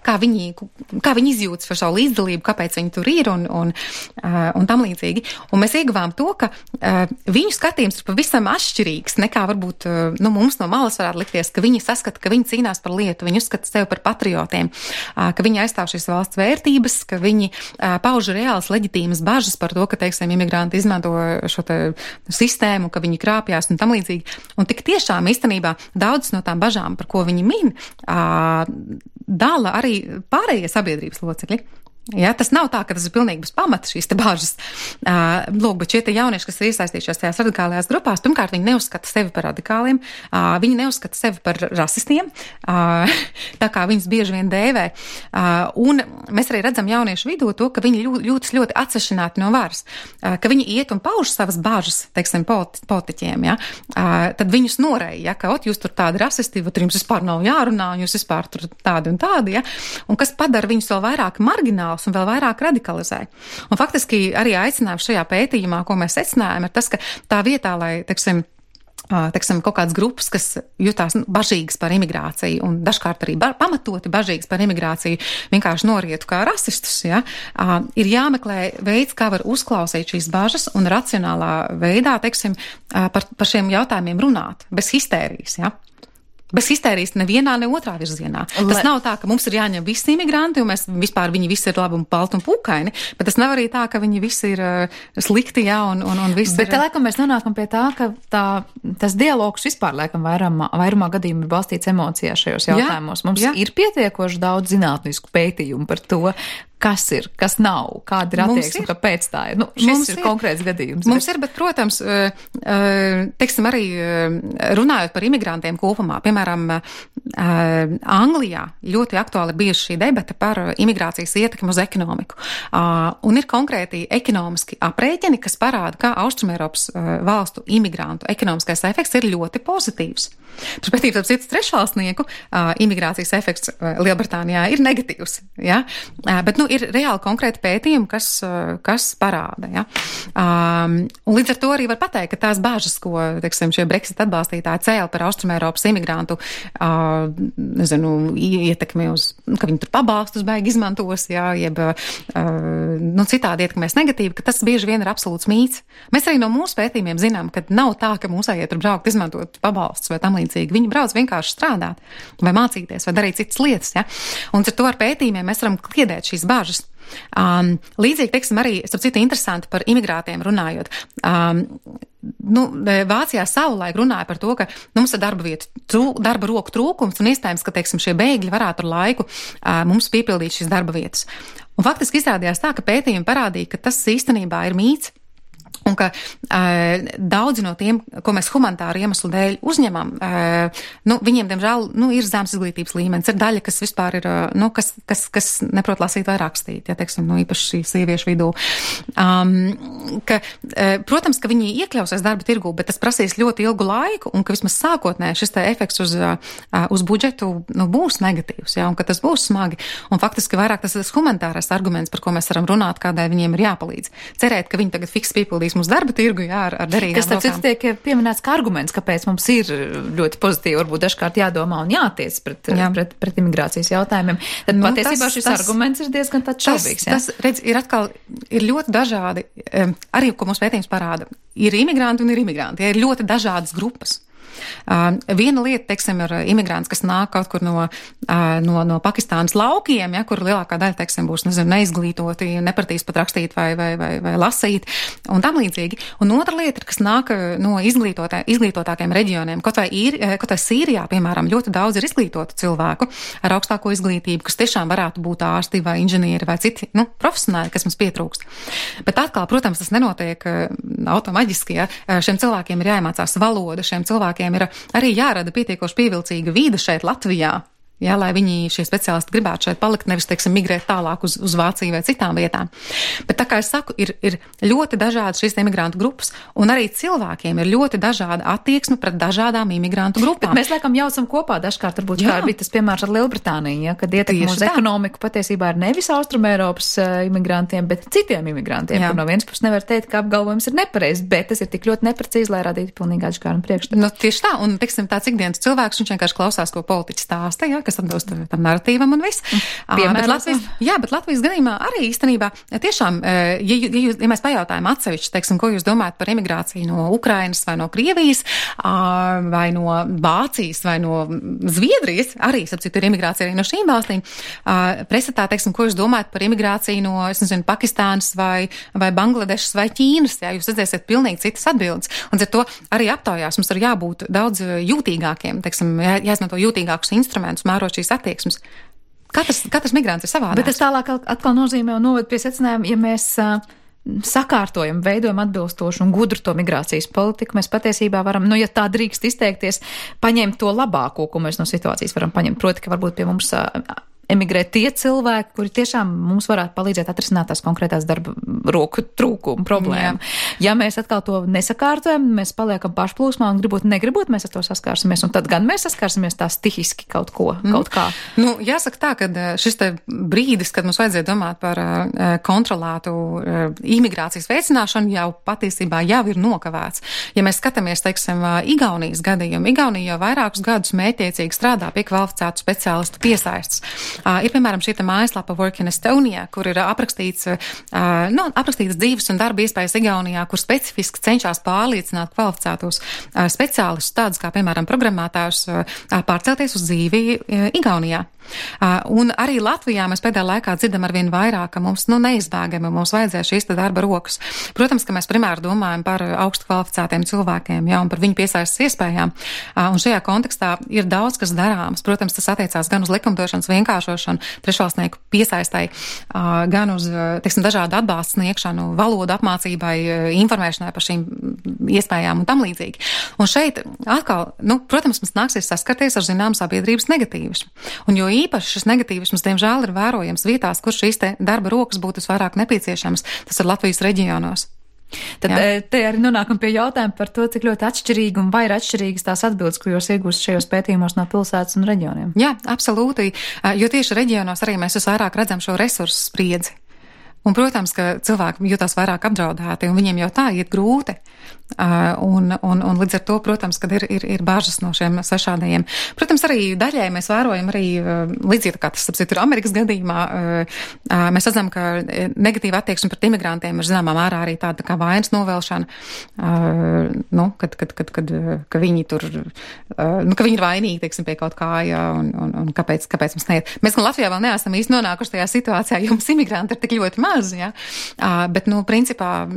kā viņi izjūtas par savu līdzdalību, kāpēc viņi tur ir un tam līdzīgi. Un mēs ieguvām to, ka viņu skatījums ir pavisam atšķirīgs nekā varbūt mums no malas varētu likties, ka viņi saskata, ka viņi cīnās par lietu, viņi uzskata sevi par patriotiem, ka viņi aizstāv šīs valsts vērtības, ka viņi pauž reāls leģitīmas bažas par to, ka, teiksim, imigranti izmanto šo te sistēmu, ka viņi krāpjās un tam līdzīgi. Un tik tiešām īstenībā daudzas no tām bažām, par ko viņi min, dala arī pārējie sabiedrības locekļi. Ja, tas nav tā, ka tas ir pilnīgi bez pamata šīs te bāžas. Bet šie te jaunieši, kas ir iesaistījušies tajās radikālajās grupās, pirmkārt, viņi neuzskata sevi par radikāliem, viņi neuzskata sevi par rasistiem, tā kā viņus bieži vien dēvē. Un mēs arī redzam jauniešu vidū to, ka viņi jūtas ļoti atsevišķināti no varas, ka viņi iet un pauž savas bāžas, teiksim, politiķiem, ja. Tad viņus noreja, ja, ka jūs tur tādi rasisti, tur jums vispār nav jārunā, un jūs vispār tur tādi un tādi, ja. Un kas padara viņus vēl vairāk margināli un vēl vairāk radikalizē. Un faktiski arī aicinājums šajā pētījumā, ko mēs secinājām, ir tas, ka tā vietā, lai, teiksim, kaut kādas grupas, kas jutās bažīgas par imigrāciju un dažkārt arī pamatoti bažīgas par imigrāciju, vienkārši norietu kā rasistus, ja, ir jāmeklē veids, kā var uzklausīt šīs bažas un racionālā veidā, teiksim, par šiem jautājumiem runāt, bez histērijas, ja. Bez histērijas nevienā, ne otrā virzienā. Tas nav tā, ka mums ir jāņem visi imigranti, un viņi visi ir labi un balti un pūkaini, bet tas nav arī tā, ka viņi visi ir slikti, jā, un visi bet ir... laikam mēs nonākam pie tā, ka tas dialogs vispār, laikam, vairumā gadījumā ir balstīts emocijās šajos jautājumos. Mums ir pietiekoši daudz zinātnisku pētījumu par to, kas ir, kas nav, kāda ir attieksme, kāpēc tā ir. Šis ir konkrēts gadījums. Mums ir, bet, protams, teiksim, arī runājot par imigrantiem kopumā, piemēram, Anglijā ļoti aktuāli bijusi šī debata par imigrācijas ietekmi uz ekonomiku. Un ir konkrēti ekonomiski aprēķini, kas parāda, kā Austrumēropas valstu imigrantu ekonomiskais efekts ir ļoti pozitīvs. Turpretī, ap citu trešvalstnieku imigrācijas efekts Lielbritānijā ir negatīvs, ja? Bet, ir reāli konkrēti pētījumi, kas parāda, ja? Un līdz ar to arī var pateikt, ka tās bāžas, ko, teiksim, šie Brexit atbalstītāji cēla par Austrumēropas imigrantu, ietekmi uz, ka viņi tur pabalstus baigi izmantos, ja, jeb, citādi ietekmēs negatīvi, ka tas bieži vien ir absolūts mīts. Mēs arī no mūsu pētījumiem zinām, ka nav tā, ka mūsējie tur braukt izmantot pabalstus vai tam līdzīgi. Viņi brauc vienkārši strādāt vai mācīties vai darīt citas lietas, ja. Un ar to ar pētījumiem mēs varam kliedēt šīs bāžas. Līdzīgi, teiksim, arī, starp citu, interesanti par imigrātiem runājot. Vācijā savulaik runāja par to, ka mums ir darba roku trūkums un iespējams, ka, teiksim, šie bēgļi varētu ar laiku mums piepildīt šīs darba vietas. Un faktiski izrādījās tā, ka pētījumi parādīja, ka tas īstenībā ir mīts. Un ka daudzi no tiem, ko mēs humanitāru iemeslu dēļ uzņemam, viņiem, diemžēl, ir zems izglītības līmenis. Ir daļa, kas vispār ir, kas neprot lasīt vai rakstīt, ja, teiksim, īpaši sieviešu vidū. Protams, ka viņi iekļausies darba tirgū, bet tas prasīs ļoti ilgu laiku, un ka vismaz sākotnē šis te efekts uz budžetu būs negatīvs, ja, un ka tas būs smagi. Un faktiski vairāk tas ir humanitārais arguments, par ko mēs varam runāt, kādai viņiem ir jāpalīdz. Cerēt, ka viņi tagad fiks piepildīs mūsu darba tirgu, jā, ar derīgām kas rokām. Kas tiek pieminēts kā arguments, kāpēc mums ir ļoti pozitīvi, varbūt dažkārt jādomā un jātiec pret imigrācijas jautājumiem. Tad patiesībā šis arguments ir diezgan tāds šaubīgs. Tas, redz, ir ļoti dažādi, arī, ko mums pētījums parāda, ir imigranti un ir imigranti, ir ļoti dažādas grupas. Viena lieta, teiksim, ir imigrants, kas nāk kaut kur no Pakistānas laukiem, ja, kur lielākā daļa, teiksim, būs, neizglītoti, nepratīs pat rakstīt vai lasīt un tam līdzīgi. Un otra lieta ir, kas nāk no izglītotākiem reģioniem. Kaut vai Sīrijā, piemēram, ļoti daudz ir izglītotu cilvēku ar augstāko izglītību, kas tiešām varētu būt ārsti vai inženieri vai citi, profesionāli, kas mums pietrūkst. Bet atkal, protams, tas nenotiek automaģiski, ja. Šiem cilvēkiem ir jāiemācās valoda, šiem cilvēkiem ir arī jārada pietiekoši pievilcīga vīde šeit Latvijā. Ja, lai viņi šie speciālisti gribētu šeit palikt, nevis, teiksim, migrēt tālāk uz Vāciju vai citām vietām. Bet tā kā es saku, ir ļoti dažādas šīs imigrantu grupas, un arī cilvēkiem ir ļoti dažāda attieksme pret dažādām imigrantu grupām. Bet mēs laikam jaucam kopā dažkārt, varbūt kā bija tas piemērs ar Lielbritāniju, ja, kad ietekme uz ekonomiku patiesībā ir nevis Austrumēropas imigrantiem, bet citiem imigrantiem, kur no vienas puses nevar teikt, ka apgalvojums ir nepareizs, bet tas ir tik ļoti neprecīzi, lai radītu pilnīgi atšķirīgu priekšstatu. Tieši tā, un, teiksim, tāds ikdienas cilvēks, viņš vienkārši klausās, ko politiķi stāsta, ja, kas atbilst tam narratīvam un viss. Bet Latvijas gadījumā arī īstenībā tiešām, ja mēs pajautājam atsevišķi, teiksim, ko jūs domājat par imigrāciju no Ukrainas vai no Krievijas, vai no Vācijas vai no Zviedrijas, arī, sapcīt, ir imigrācija arī no šīm valstīm, presatā, teiksim, ko jūs domājat par imigrāciju no, Pakistānas vai Bangladešas vai Ķīnas, ja jūs redzēsiet pilnīgi citas atbildes. Un ar to arī aptaujās mums ir jābūt daudz jūtīgākiem, teiksim, jāizmanto jūtīgākus instrumentus, mērot šīs attieksmes. Katrs migrants ir savādāks. Bet tas tālāk atkal nozīmē un noved pie secinājuma, ja mēs sakārtojam, veidojam atbilstošu un gudru to migrācijas politiku, mēs patiesībā varam, ja tā drīkst izteikties, paņemt to labāko, ko mēs no situācijas varam paņemt. Proti, ka varbūt pie mums emigrēt tie cilvēki, kuri tiešām mums varētu palīdzēt atrisināt tās konkrētās darba roku trūkumu problēmu. Ja mēs atkal to nesakārtojam, mēs paliekam pašplūsmā un negribot, mēs ar to saskārsimies, un tad gan mēs saskārsimies tā stihiski kaut kā. Jāsaka tā, ka šis te brīdis, kad mums vajadzēja domāt par kontrolētu imigrācijas veicināšanu, jau patiesībā jau ir nokavēts. Ja mēs skatāmies, teiksim, Igaunijas gadījumu, Igaunija jau vairākus gadus mētiecīgi strādā pie kvalificētu speciālistu piesaistes. Ir, piemēram, šī mājaslapa Work in Estonia, kur ir aprakstīts dzīves un darba iespējas Igaunijā, kur specifiski cenšas pārliecināt kvalificētos speciālistus, tādus kā, piemēram, programmētājus, pārcelties uz dzīvi Igaunijā. Un arī Latvijā mēs pēdējā laikā dzirdam arvien vairāk, ka mums neizbēgami mums vajadzēs šīs darba rokas. Protams, ka mēs primāri domājam par augstu kvalificētiem cilvēkiem, un par viņu piesaistes iespējām. Un šajā kontekstā ir daudz, kas darāms. Protams, tas attiecās gan uz likumdošanas vienkāršošanu, trešvalstnieku piesaistai, gan uz, teiksim, dažādu atbalstu sniegšanu, valodu apmācībai, informēšanai par šīm iespējām un tam līdzīgi. Un šeit atkal, protams, mums nāksies saskarties ar zinām sabiedrības negatīvismu. Un jo īpaši šis negatīvisms, diemžēl, ir vērojams vietās, kur šīs te darba rokas būtu visvairāk nepieciešamas. Tas ir Latvijas reģionos. Tad te arī nonākam pie jautājuma par to, cik ļoti atšķirīgi un vai ir atšķirīgas tās atbildes, ko jūs iegūst šajos pētījumos no pilsētas un reģioniem. Jā, absolūti, jo tieši reģionos arī mēs visvairāk redzam šo resursu spriedzi. Un, protams, ka cilvēki jūtās vairāk apdraudēti, un viņiem jau tā iet grūti. Un līdz ar to, protams, kad ir bažas no šiem svešādajiem. Protams, arī daļai mēs vērojam arī, līdzīgi kā tas, ir Amerikas gadījumā, mēs redzam, ka negatīva attieksme pret imigrantiem ir zināmā mērā arī tāda kā vainas novelšana, ka viņi tur, ka viņi ir vainīgi, teiksim, pie kaut kā, un kāpēc mums neiet. Mēs gan Latvijā vēl neesam īsti nonākuši tajā situācijā, jo mums imigranti ir tik ļoti maz, ja? Bet, principā,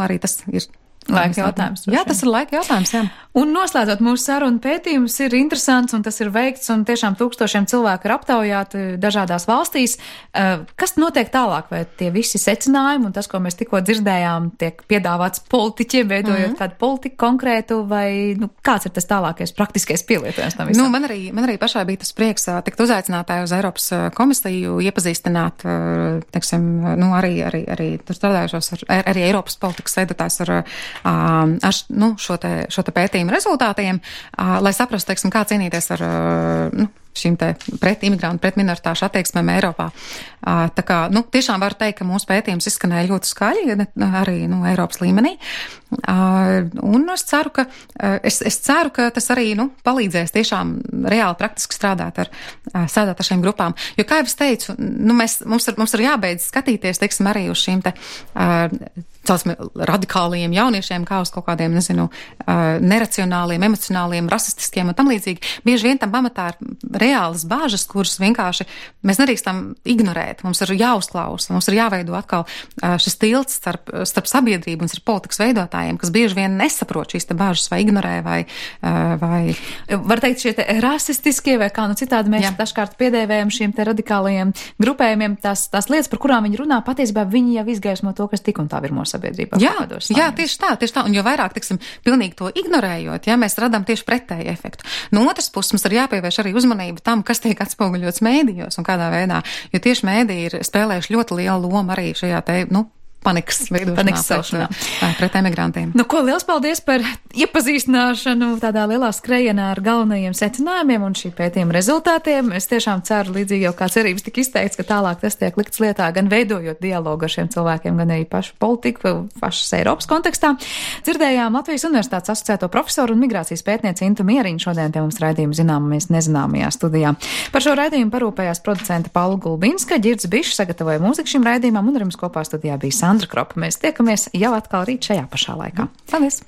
arī tas ir laika jautājums. Jā, tas ir laika jautājums, jā. Un noslēdzot mūsu sarunu, pētījums ir interesants un tas ir veikts un tiešām tūkstošiem cilvēku ir aptaujāti dažādās valstīs. Kas notiek tālāk? Vai tie visi secinājumi un tas, ko mēs tikko dzirdējām, tiek piedāvāts politiķiem, veidojot kādu politiku konkrētu, vai kāds ir tas tālākais praktiskais pielietojums tam visam? Man arī pašai bija tas prieks tikt uzaicinātāju uz Eiropas komisiju, iepazīstināt, teiksim, arī tur strādājušos arī Eiropas politikas veidotājs ar šo te pētījumu rezultātiem, lai saprastu, teiksim, kā cīnīties ar šīm te pret imigrantu, pret minoritāšu attieksmēm Eiropā. Tā kā, tiešām var teikt, ka mūsu pētījums izskanēja ļoti skaļi, arī, Eiropas līmenī. Un es ceru, ka tas arī, palīdzēs tiešām reāli praktiski strādāt ar šīm grupām. Jo, kā jau es teicu, mums ir jābeidz skatīties, teiksim, arī uz šīm te radikāliem jauniešiem, kā uz kaut kādiem, neracionāliem, emocionāliem, rasistiskiem un tam līdzīgi. Bieži vien tam pamatā ir reālas bāžas, kuras vienkārši mēs nedrīkstam ignorēt. Mums ir jāuzklausa, mums ir jāveido atkal šis tilts starp sabiedrību un starp politikas veidotājiem, kas bieži vien nesaprot šīs te bāžas vai ignorē vai. Var teikt, šie te rasistiskie vai kā citādi mēs dažkārt piedēvējam šiem te radikālajiem grupējumiem, tās lietas, par kurām viņi runā, patiesībā viņi jau izgaismo to, kas tik un tā ir mūsu sabiedrībā. Jā, tieši tā. Un jo vairāk, pilnīgi to ignorējot, mēs radām tieši pretēju efektu. No otras puses mums ir jāpievērš arī uzmanība tam, kas tiek atspoguļots mēdījos un kādā veidā, jo tieši mēdīji ir spēlējuši ļoti lielu lomu arī šajā te, panikas veidošanā pret emigrantiem. Ko liels paldies par iepazīstināšanu tādā lielā skrejienā ar galvenajiem secinājumiem un šī pētījuma rezultātiem. Es tiešām ceru, līdzīgi jau kā cerības tika izteikts, ka tālāk tas tiek likts lietā, gan veidojot dialogu ar šiem cilvēkiem, gan arī pašu politiku, pašas Eiropas kontekstā. Dzirdējām Latvijas Universitātes asociēto profesoru un migrācijas pētnieci Intu Mieriņu šodien pie mums raidījuma Zināmamies nezināmajā studijā. Par šo raidījumu parūpējās producente Paula Gulbinska, Ģirds Bišs sagatavoja mūziku šim raidījumam un ar jums kopā studijā bija Sandra Kropa. Mēs tiekamies jau atkal rīt šajā pašā laikā. Paldies!